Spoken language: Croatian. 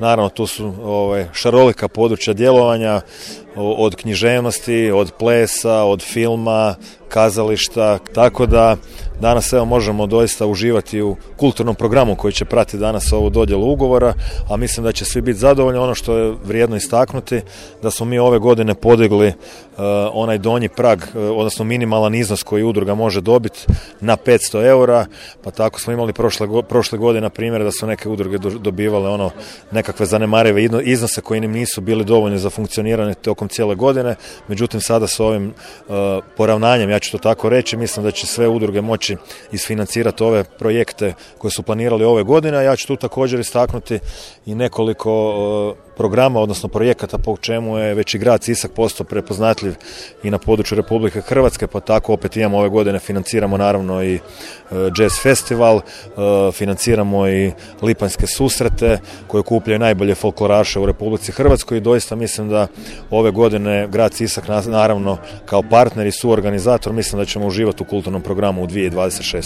naravno tu su šarolika područja djelovanja, od književnosti, od plesa, od filma, kazališta, tako da danas možemo doista uživati u kulturnom programu koji će pratiti danas ovu dodjelu ugovora, a mislim da će svi biti zadovoljni. Ono što je vrijedno istaknuti, da smo mi ove godine podigli onaj donji prag, odnosno minimalan iznos koji udruga može dobiti na 500 eura, pa tako smo imali prošle godine na primjer da su neke udruge dobivale nekakve zanemarive iznose koji im nisu bili dovoljni za funkcioniranje tokom cijele godine, međutim sada s ovim poravnanjem, ja ću to tako reći, mislim da će sve udruge moći isfinancirati ove projekte koje su planirali ove godine, a ja ću tu također istaknuti i nekoliko programa, odnosno projekata po čemu je već i grad Sisak postao prepoznatljiv i na području Republike Hrvatske, pa tako opet imamo ove godine, financiramo naravno i jazz festival, financiramo i lipanjske susrete koje okupljaju najbolje folkloraše u Republici Hrvatskoj i doista mislim da ove godine grad Sisak naravno kao partner i suorganizator mislim da ćemo uživati u kulturnom programu u 2026.